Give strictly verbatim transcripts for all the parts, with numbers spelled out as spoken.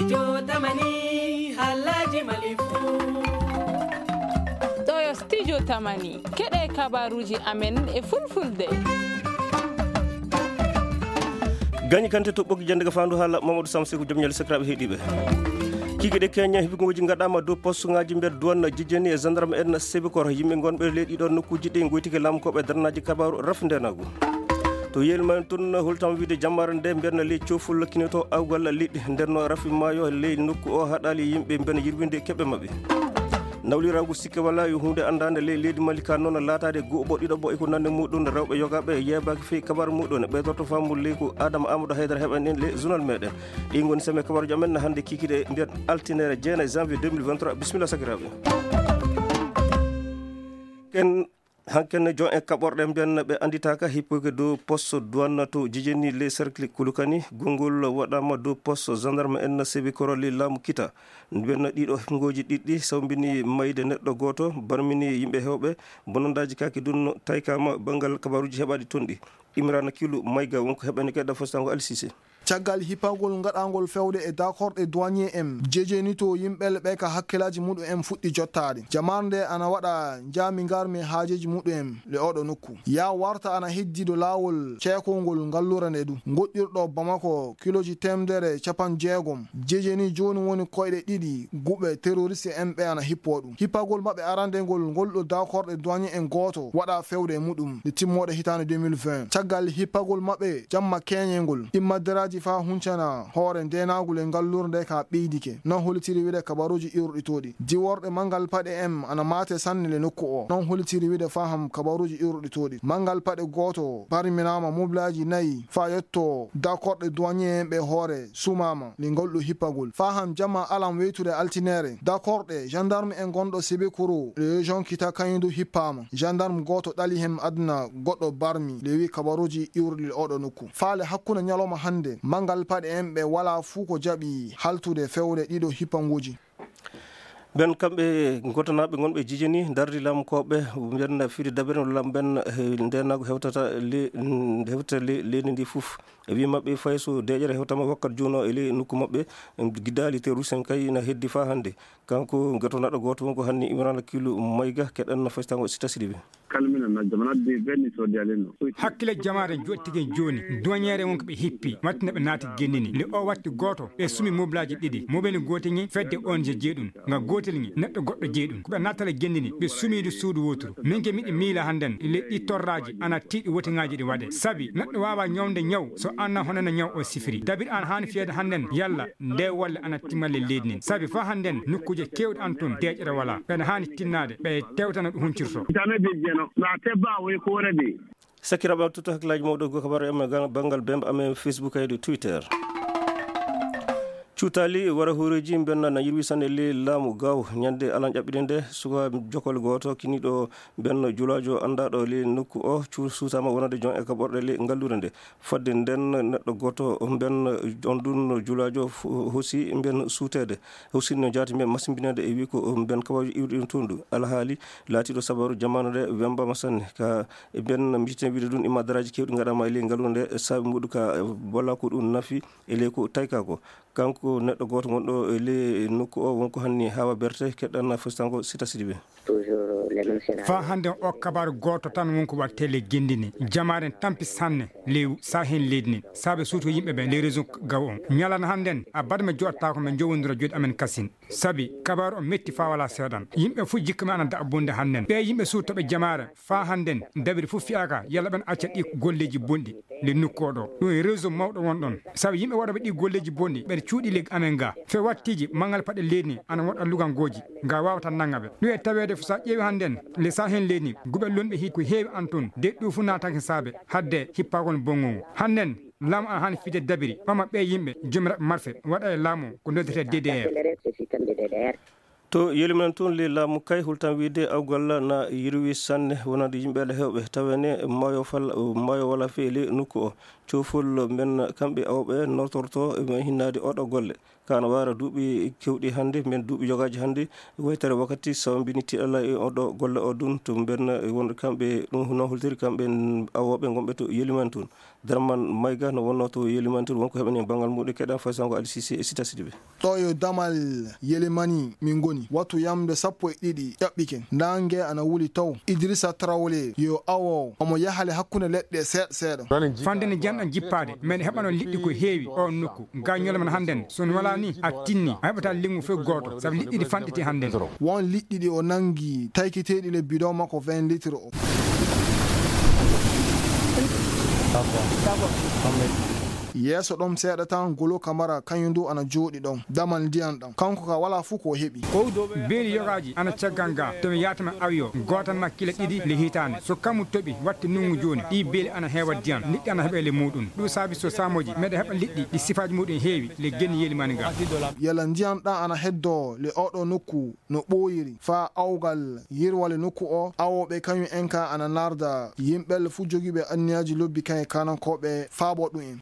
Studio Tamani, halaji Mali fu. Ɗo yo Studio Tamani, keɗe kabaruji amen e fulfulde. Gañi kante to ɓoggi jannde ga faandu haala Mamadou Samsi ko joom ñaali sakiraaɓe heɗiiɓe. Kikiɗe keña hibigoji gaɗama dow poste ngaji nder douane jejeni e gendarme en sebikor yimɓe gonɓe leydi ɗo nokkuji ɗi goytike lamkoɓe darnaji kabaru rafi ndenagu. To yeeli men tun holtam wiide jammare nde mbiyanna ley coful kinoto awgal liɗɗi ndenno rafi maayo ley nokku o haɗali yimɓe mbena yirwinde keɓe maɓɓe. Nawliragu sikke wala yo hunde andande ley leydi Mali ka noon laataade guɓo ɗiɗo ɓo eko nande muɗum rewɓe yogaɓe yeebaaki fey kabaru muɗum ne ɓeydorto faamu ley ko Adama Amadou Haydara heɓani en ley journal meɗen. Ɗi ngoni seme kabaruji amen hannde kikiɗe nder altinere jeenayi janvier deux mille vingt-trois. Bisimilla sakiraaɓe. Ken hanken jon e kaɓorɗe mbiyan ɓe annditaaka hippoke dow poste douane to jejeni les cercle Kulukani. Gonngol waɗama dow poste gendarme en sebi koroli laamu kita. Mbiyan ɗiɗo hipngoji ɗiɗɗi sawmbini mayde neɗɗo gooto, barmini yimɓe hewɓe, bonondaji kaki dun taykama banngal kabaruji heɓaɗi ton ɗi. Imrana Kilu Mayga wonko heɓani keɗɗa fostango Alsise. Caggal hipagol gaɗangol fewde e dakorɗe douanier en, jejenito yimɓe ɓe ka hakkillaji muɗum en fuɗɗi jottaade. Jama'ar nde ana waɗa jaami ngarmi haajeji muɗum en le oɗo nokku. Ya warta ana heddi do laawol ceekongol ngallure nde du. Ngoɗɗirɗo Bamako kiloji temedere capanɗe jeegom. Jejeni jooni woni koyɗe ɗiɗi guɓe terroriste en ɓe ana hippo ɗum. Hipagol maɓɓe arandegol ngol ɗo dakorɗe douanier en gooto waɗa fewde e muɗum nde timmoɗe hitaande deux mille vingt. Caggal hipagol maɓɓe jamma keñengol, immadderaji fa huncana hoore ndenagol e ngallure nde ka ɓeydike. Non holitiri wiide kabaruji iwruɗi toɗi. Diworɗe mangal paɗe en ana mate sanne le nokku o. Non holitiri wiide faham kabaruji iwruɗi toɗi. Mangal paɗe gooto barminama moblaji nayi fa yetto dakorɗe douanier en ɓe hoore sumama le ngol ɗo hippagol. Faham jamma alam weytude altinere. Dakorɗe gendarme en gonɗo Sibikuru le région kita kañum du hippama. Gendarme gooto ɗali hen aduna goɗɗo barmi le wi kabaruji iwruɗi oɗo nokku. Faale hakkunde ñalawma hannde, mangal paɗe en ɓe wala fuu ko jaɓi haltude fewde ɗiɗo hippanguji. Ɓen kamɓe gotonaaɓe gonɓe jijini dardi lamkooɓe ɓen fiide dabere no lam ɓen, eh, ndenagu hewtata le-, hewta le-, leydi ndi fof. E wi maɓɓe fay so deƴere hewtama wakkat juuno e ley nokku maɓɓe, em, gidaali terroriste en kay ina heddi faa hannde. Kanko gotonaaɗo gooto wonko hanni Imrana Kilu Mayga keɗen no faytango Sita Sidibe. Kalmina na jamanat de benni so dialen no. Hakkile jamaare joɗtigen jooni, duwañeere wonko ɓe hippi, wattino ɓe naati gennini. Nde o watti gooto, ɓe sumi moblaaji ɗiɗi. Mobel gootel ngi fedde O N G jeeɗum, nga gootel ngi neɗɗo goɗɗo jeeɗum. Ko ɓe naatala gennini, ɓe sumiidu suudu wooturu. Min ke miɗi miila hannden, le ɗi torraaji ana tiiɗi wotiŋaaji ɗi waɗe. Sabi neɗɗo waawa ñawde ñaw, so anna hono no ñaw o sifiri. Dabir an haani fiyeede hannden, yalla nde wolle ana timmalle leydi nin. Sabi faa hannden nokkuuje keewɗe an tun, deeƴere walaa. Ɓen haani tinnaade, ɓe tewtana ɗo huncirto. Tame be jeno, na tebba woy koore de. Sakiraɓe, tutto hakkillaji mawɗo go kabaru e bangal bemba amen Facebook e Twitter. Cuutali wara hooreeji mbenna na yirwi sanne le laamu gaw ñande alan ƴaɓɓiɗe nde suka jokol gooto kiniɗo mbenno julaajo anndaɗo le nokku o cu-, suutama wonande jon e kaɓorɗe le ngallure nde. Fodde nden neɗɗo gooto mbenno on ɗun julaajo fu-, hosi mben suuteede. Hosi no jaati mben masimbinede e wi ko mben kabaruji iwɗi ɗum tundu. Alhaali laatiɗo sabaru jamanu nde wembama sanne. Ka e mben mbiten wiide ɗum imma daraaji kewɗi ngaɗama e ley ngallure nde saabi muɗum ka wala ko ɗum nafi e ley ko tayka ko. Kanko neɗɗo gooto gonɗo e ley nokku o wonko hanni hawa berte keɗɗan fostango Sita Sidibe. Toujours les mêmes scénarios. Faa hannden o kabaru gooto tan wonko waɗtee le gendini. Jamaaren tampi sanne ley saahen leydi nin. Saabe suuto yimɓe ɓe ley région gaw on. Ñalana hannden a badme joɗata ko men jowondira joɗi amen kasin. Sabi kabaru o metti faa wala seeɗan. Yimɓe fof jikka men ana daɓɓunde hannden. Ɓe yimɓe suutoɓe jamaare faa hannden dabiri fof fiyaaka yalla ɓen acca ɗi golleji bonɗi. Le nokku o ɗo. Ɗum e réseau mawɗo won ɗon. Sabu yimɓe waɗooɓe ɗi golleeji bonɗi, ɓeɗe cuuɗi leggi amen ga. Fe wattiiji, manngal paɗe leydi ni, ana woɗɗa luganngooji, nga waawata nannga ɓe. Ɗum e taweede so a ƴeewi hannden, le Sahel leydi ni, guɓe lonɓe hii ko heewi an toon, de ɗum fof naatake saabe, hadde hippagol bonngo ngu. Hannden, laamu ana haani fiide dabiri, ɓama ɓee yimɓe, joomiraaɓe marfe, waɗa e laamu ko noddirtee D D R. To Yeliman tun, le laamu kay hultan wiide awgal na yirwi sanne wonande yimɓe Alla hewɓe, tawene maayo fal-, maayo wala feele nokku o. Cofol men kamɓe awɓe notorto men hinnaade oɗo golle. Kana wara duuɓi kewɗi hannde, men duuɓi yogaaji hannde, waytere wakkati sawmbini tiɗalla e oɗo golle o dun, to ben won kamɓe ɗum no holtiri kamɓe awooɓe gonɓe to Yeliman tun. Darman Mayga no wonno to Yeliman tun, wonko heɓani banngal muɗum keɗan faysango Ali Cissé e Sita Sidibé. Ɗo yo damal Yelimani min ngoni. Wattu yamde sappo e ɗiɗi ƴaɓɓiken. Ndange ana wuli taw. Idrissa Traoré yo awo omo yahale hakkunde leɗɗe seeɗa seeɗa. Fande ne janɗan jippaade, men heɓano liɗɗi ko heewi o nokku. Gañol man hannden, so on wala ni, a tinni, a heɓata lingu fof gooto, sabu liɗɗi ɗi fanɗiti hannden. Won liɗɗi ɗi o nangi, taykiteeɗi le bidon makko vingt litres o. Yeeso ɗon seeɗa tan, Golo Kamara, kañum du ana jooɗi ɗon, damal ndiyan ɗan. Kanko ka wala fof ko o heɓi. Beeli yogaaji ana caggal ga, to mi yaatama awiyo, gootal ma kila ɗiɗi le hitaande. So kamu toɓi, watte nungu jooni, ɗi beeli ana heewa ndiyan, liɗɗi ana heɓa le muɗum. Ɗum saabi so saamoji, meɗa heɓa liɗɗi, ɗi sifaaji muɗum heewi, le genni Yelimani ga. Yala ndiyan ɗan ana heddo le oɗo nokku no ɓooyiri, faa awgal yirwale nokku o, awooɓe kañum en ka ana narda yimɓe le fof jogiiɓe anniyaaji lobbi kañe kanankooɓe faabo ɗum en.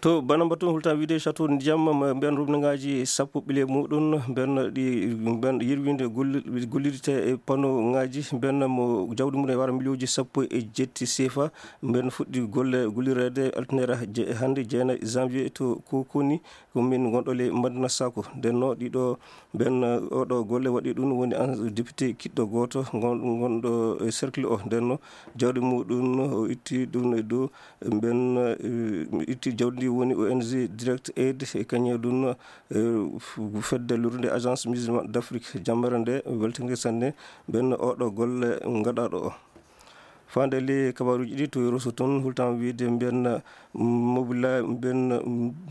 To Banamba tun, hulta wiide château ndiyam, ma mbiyan rubnagaaji sappo ɓile muɗum, mbiyan ɗi, mbiyan yirwinde golli-, gollirte e panneau ngaaji, mbiyan mo jawdi mum e wara miliyonji sappo e jetti sefa, mbiyan fuɗɗi golle gollireede altinere je-, hannde jeena janvier to Kokoni, ko min ngonɗo le Madina Sako. Nden no ɗiɗo mbiyan oɗo golle waɗi ɗum woni an député kiɗɗo gooto ngon-, ngonɗo e cercle o. Nden no jawdi muɗum o itti ɗum e dow Mben, eh, itti jawdi ndi woni O N G Direct Aid e kañum ɗum, eh, f-, fedde lorrude Agence Musulmane d'Afrique. Jammere nde weltinde sanne, mben oɗo golle ngaɗaɗo o. Faande le kabaruji ɗi to Rosso toon, hultan wiide mben mobila, mben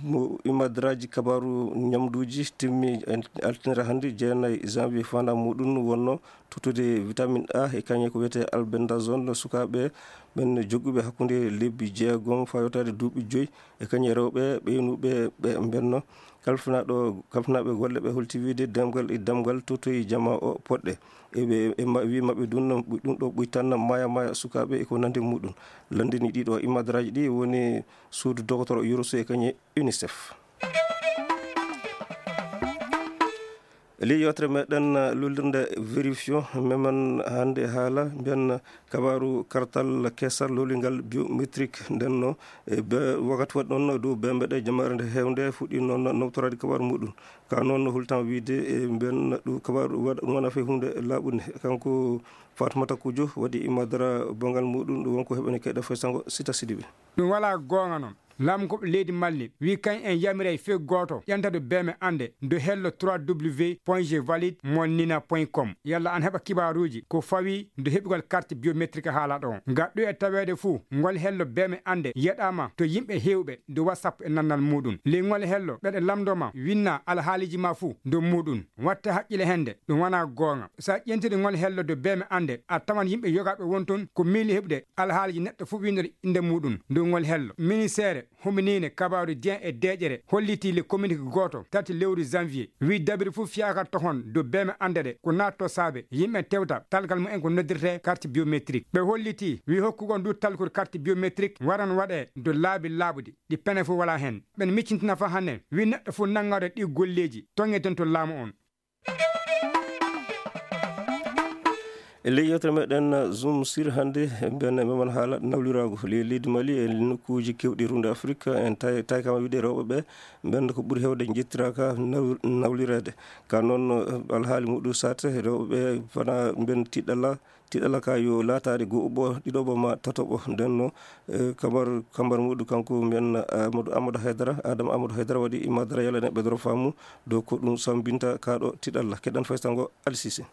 mo imadraji kabaru ñamduji timmi en altinere hannde, jeenayi janvier, fanda muɗum wonno tottude vitamine A e kañum ko wiyetee albendazole sukaaɓe ɓen jogguɓe hakkunde lebbi jeegom faa yottaade duuɓi joyi, e kañum e rewɓe ɓeynuɓe ɓe mbenno. Kalfinaaɗo, kalfinaaɓe golle ɓe holti wiide demgal e damgal tottoyi jamaa o poɗɗe. E ɓe, e ma-, wi maɓɓe ɗum, ɗum ɗo ɓuytanna maaya maaya sukaaɓe e ko nandi muɗum. Lanndini ɗiɗo imadraaji ɗi woni suudu dogotoro Yoroso e kañum e UNICEF. Ley yewtere meɗen, uh, lullirde vérifion, memen hannde haala mbiyan kabaaru kartal kesal lolingal biométrique. Nden no, e be-, wakati waɗi noon dow bembe ɗe jamaare nde heewnde fuɗɗi noon noftoraade kabaaru muɗum. Ka noon no hultan wiide e mbiyan ɗum kabaaru waɗa ɗum wona fe hunde laaɓunde. Kanko Fatmata Kujo waɗi imadara bongal muɗum, ɗum wonko heɓani kayɗe fay sango Sita Sidibe. Ɗum wala goonga noon. Laamu ko leydi Mali wi kañ en yamiray fee gooto ƴanta do beeme annde do hello trois W point je valide mon nina point com. Yalla an heɓa kibaaruuji ko fawi do heɓugol carte biométrique haala ɗo. Nga ɗo e taweede fuu, ngol hello beeme annde yeɗaama to yimɓe heewɓe do WhatsApp e nannal muuɗum. Ley ngol hello ɓeɗe lamndoma winna alhaaliji ma fuu do muuɗum. Watte haqqile hende, ɗum wona goonga. Sa ƴentiri ngol hello do beeme annde, a tawan yimɓe yogaaɓe won toon ko miili heɓude alhaaliji neɗɗo fuu winndori innde muuɗum. Ndu ngol hello. Ministeere Huminine kabaaru diyan e deeƴere hollitii le communiqué gooto tati lewru janvier. Wi dabiri fof fiyaaka tohon dow beeme annde ɗe ko naatto saabe yimɓe tewta talgal mumen ko noddirtee carte biométrique. Ɓe hollitii wi hokkugol ndu talkuru carte biométrique waran waɗee dow laabi laaɓuɗi ɗi pene fof wala heen. Ɓen miccintina fa hannde wi neɗɗo fof nanngaaɗo ɗi golleeji toŋeten to laamu on. E ley yewtere meɗen Zoom Sir hannde, mbiyan memen haala nawliraagu ley leydi Mali e nokkuuji keewɗi runde Afrik. En tay-, taykama wiide rewɓe ɓe, mbiyan ko ɓuri heewde njettiraaka naw-, nawlireede. Ka noon, eh, alhaali muɗum saate, rewɓe ɓe fana mbiyan tiɗɗalla, tiɗɗalla ka yo laataade go'oɓo, ɗiɗoɓo ma tatoɓo. Nden no, eh, kambar, kambar muɗum kanko mbiyan Amadou, Amadou Haydara, Adama Amadou Haydara waɗi imadara yalane ɓe doro faamu dow ko ɗum sambinta kaɗo tiɗalla. Keɗan faysango Alsise.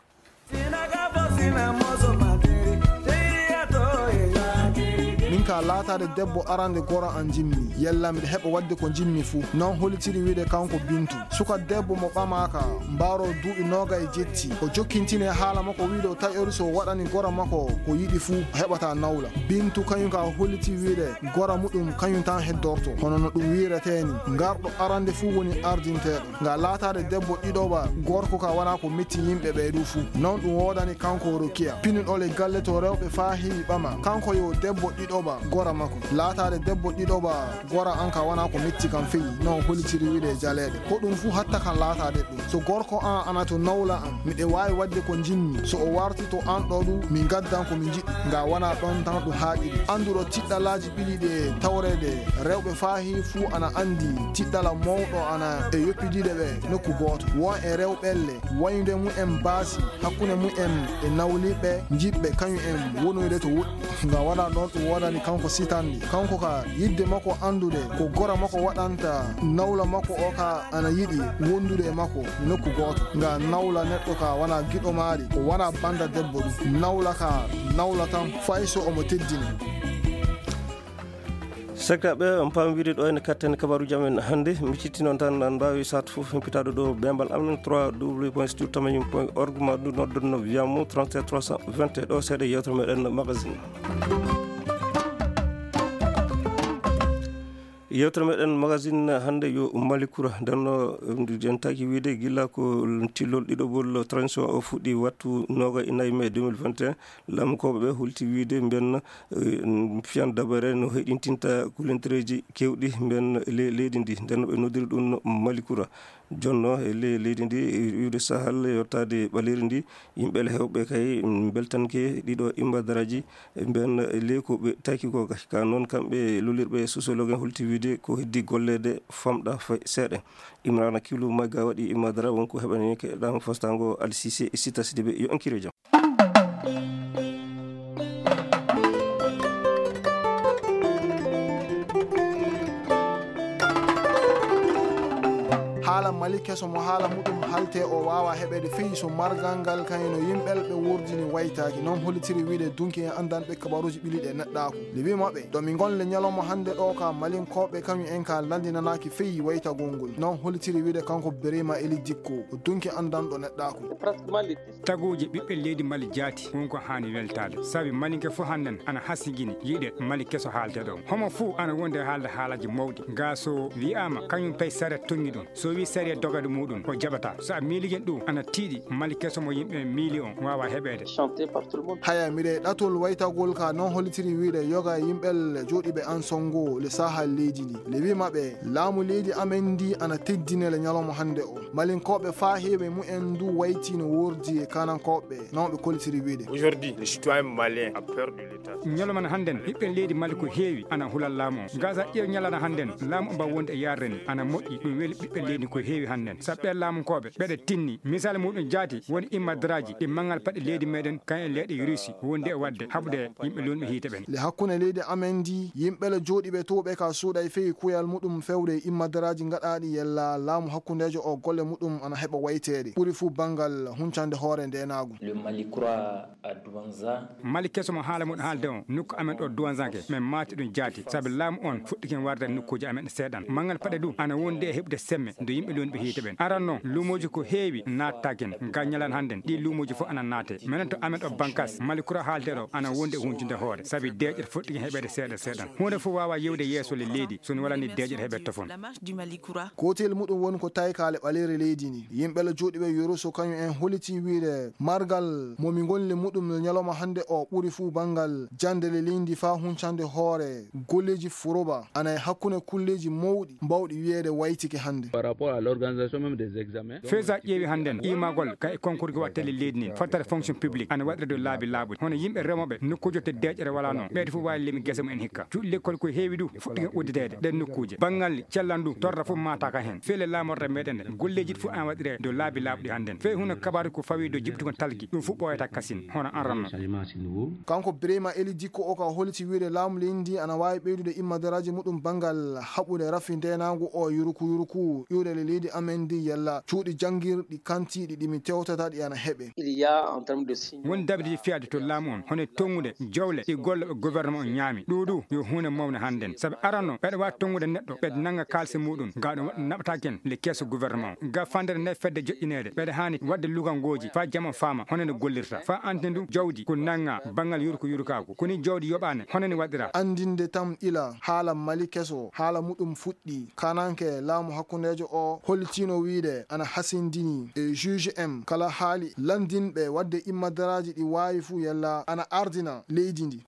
Min Ka laataade debbo arande gora an jimmi, yella miɗo heɓa waɗde ko jimmi fuu. Non hollitiri wi'de kanko Bintu. Suka debbo mo ɓamaaka, mbaaro duuɓi noogay jetti. O jokkintine haala makko wi'de o taƴori so o waɗani gora makko ko yiɗi fuu, o heɓata nawla. Bintu kañum ka holliti wi'de gora muɗum kañum tan heddorto. Hono no ɗum wi'retee ni, ngarɗo arande fuu woni ardinteeɗo. Nga laataade debbo ɗiɗoɓa, gorko ka wona ko metti yimɓe ɓee ɗuu fuu. Non ɗum woodani kanko Rokiya. Pinuɗo le galle to rewɓe faa heewi ɓama. Kanko yo debbo ɗiɗoɓa, gora makko. Laataade debbo ɗiɗoɓa, gora an ka wona ko metti kam feyi. Non hollitiri wi'de jaleeɗe. Ko ɗum fuu hatta kan laataade ɗum. So gorko an ana to nawla an, miɗe waawi waɗde ko njimmi. So o warti to an ɗoo ɗum, min gaddan ko min njiɗi. Nga wona ɗon tan ɗum haaɗiri. Annduɗo tiɗɗalaaji ɓili ɗe tawreede rewɓe faa heewi fuu ana anndi tiɗɗala mawɗo ana e yoppidiiɗe ɓe nokku gooto. Won e rewɓelle wayde mumen baasi hakkunde mumen e nawliiɓe njiɗɓe kañum en wonoyde to woɗɗi. Nga wona ɗon ɗum woodani kanko sitandi. Kanko ka yiɗde makko anndude ko gora makko waɗanta nawla makko o ka ana yiɗi wondude e makko e nokku gooto. Nga nawla neɗɗo ka wona giɗo maari, ko wona bannda debbo ɗum. Nawla ka nawla tan fay so omo teddini. Sakiraaɓe, on paam wiide ɗo ene katten kabaaruuji amen hannde. Mi citti noon tan, an mbaawi saat fof humpitaade ɗo beembal amen, trois w point studio tamanium point org, ma ɗum nodden no wiyamo trente-sept trois cent vingt. Ɗo seeɗa yewtere meɗen magazine. Yewtere meɗen magazine hannde yo Mali Kura. Nden no, en taki wiide gila ko tillol ɗiɗoɓol transition o fuɗɗi wattu noga e nayi mai deux mille vingt et un, laamukooɓe ɓe hulti wiide mben, eh, fiyan dabare no heɗintinta kulentereeji kewɗi mben le-, leydi ndi. Nden no ɓe noddiri ɗum Mali Kura. Jonno e le-, leydi ndi, iwde Sahel yottaade ɓaleeri ndi, yimɓe le hewɓe kay, mm, beltanke ɗiɗo imbadaraaji, e mben le ko ɓe taki ko ka. Ka noon kamɓe lolirɓe sociologue en hulti wiide ko heddi golleede famɗa fay seeɗa. Imrana Kilu Magga waɗi imbadara wonko heɓani keɗɗaama fastango Al Sise e Sita Sidibé. Yo ankiro jam. Haala Mali keso mo haala muɗum halte o waawa heɓeede fii so margal ngal kayno yimɓel ɓe wurdini waytaaki. Noon hollitiri wiide dunki en anndanɓe kabaruuji ɓiliɗe neɗɗaaku. Libi maɓɓe, to mi ngonle ñalawma hannde ɗo ka Malinkooɓe kañum en ka lanndinanaaki fii waytagol ngol. Noon hollitiri wiide kanko Birima Eli Dikko, o dunki anndanɗo neɗɗaaku. Taguuji ɓiɓɓe leydi Mali jaati, won ko haani weltaade. Sabi Malinke fof hannden ana hasigini yiide Mali keso haalte ɗo. Homo fof ana wondi e haalde haalaaji mawɗi. Gaa so wiyaama kañum pay sariya toŋŋi ɗum. So wii sariya dogade muɗum, o jaɓataa. So a miilike ɗum, ana tiiɗi Mali keso mo yimɓe miili on waawa heɓeede. Haya, miɗe ɗatol waytagol ka noon hollitiri wiide yoga yimɓe jooɗiiɓe an songo le saha leydi ndi. Le wi maɓɓe, laamu leydi amen ndi ana teddine le ñalawma hannde o. Malinkooɓe faa heewi mumen ndu wayti no wordi e Kanankooɓe, noon ɓe kollitiri wiide. Aujourd'hui, le citoyen malien a peur de l'État. Ñalawma hannden, ɓiɓɓe leydi Mali ko heewi ana hula laamu o. Gaza ƴeew ñalawma hannden, laamu o mba wonde e yarre ni, ana moƴƴi, ɗum weli ɓiɓɓe leydi ko heewi hannden. Sabu ɓe laamunkooɓe, ɓeɗe tinni. Misal muɗum jaati, woni immadaraaji ɗi manngal paɗe leydi meɗen, kañum e leyɗe Russie, wondi e waɗde, haɓude yimɓe luulɓe hiite ɓen. Le hakkunde leydi amen ndi, yimɓe le jooɗiiɓe to ɓe ka suuɗa e feyi kuyal muɗum fewde e immadaraaji gaɗaaɗi yella laamu hakkundeejo o golle muɗum ana heɓa wayteede. Ɓuri fuu banngal huncande hoore ndeenaagu. Le Mali croit à Douanza. Mali keso mo haala muɗum haalde on, nokku amen ɗo Douanza ke, men maati ɗum jaati, sabi laamu on fuɗɗike warde nokkuuji amen ɗe seeɗan. Manngal paɗe du ana wondi e heɓude semme, nde yimɓe luulɓe hiite ɓen. Aran non, luumooji ko heewi naataaki en. Ga ñalawma hannden, ɗi luumooji fof ana naate. Menen to amen ɗo Bankas, Mali kura haalde ɗo, ana wondi e huncude hoore, sabi deeƴere fuɗɗike heɓeede seeɗa seeɗan. Huunde fof waawa yewde yeeso le leydi, so no walani deeƴere heɓe tofon. Kootel muɗum woni ko tawi kaale ɓaleere leydi ndi. Yimɓe le jooɗiiɓe Yoroso kañum en holliti wiide margal mo mi ngonli muɗum le ñalawma hannde o ɓuri fuu banngal jannde le leydi faa huncande hoore golleeji furoba ana e hakkunde kulleeji mawɗi mbawɗi wiyeede waytike hannde. Par rapport à l'organisation même des examens. Fesa ƴeewi hannden iimagol ka e concours ko waɗtee leydi ndin, fottare fonction publique ana waɗire dow laabi laaɓuɗi. Hono yimɓe remooɓe nokkuuji to deeƴere walaa noon. Ɓeyde fof waawi lemi gese mumen hikka. Cuuɗi lekkol ko heewi du, fuɗɗike uddideede ɗen nokkuuje. Banngal cellal ndu, torra fof maataaka heen. Feele laamorde meɗen nde, golleeji ɗi fof ana waɗire dow laabi laaɓuɗi hannden. Fey huno kabaaru ko fawi dow jiɓtugol talki, ɗum fof ɓooyata kasin, hono an ranno. Kanko Birima Eli Dikko o ka holiti wiide laamu leydi ndi ana waawi ɓeydude immadaraaji muɗum banngal haɓude rafi ndeenaagu o yuruku yuruku iwde leydi amen ndi yalla cuuɗi janngirɗi kantiiɗi ɗi mi tewtata ɗi ana heɓe. Won dabiiji fiyaade to laamu on hono e tonngude jowle ɗi gollooɓe gouvernement on ñaami ɗuuɗu yo huunde mawne hannden sabi arano ɓeɗa waawi tonngude neɗɗo ɓeɗa nannga kaalisi muɗum ga ɗum waɗa naɓataken le keeso gouvernement ga fandere nde fedde joƴƴineede ɓeɗa haani waɗde lugangooji faa jam on faama hono nde gollirta faa anndinde ndu jawdi ko nannga banngal yurko yurkaagu koni jawdi yoɓaane hono ni waɗira. Anndinde tam ila haala mali keso haala muɗum fuɗɗi kananke laamu hakkundeejo o hollitino wiide ana hasindini e juge en kala haali lanndinɓe waɗde immadaraaji ɗi waawi fuu yalla ana ardina leydi ndi.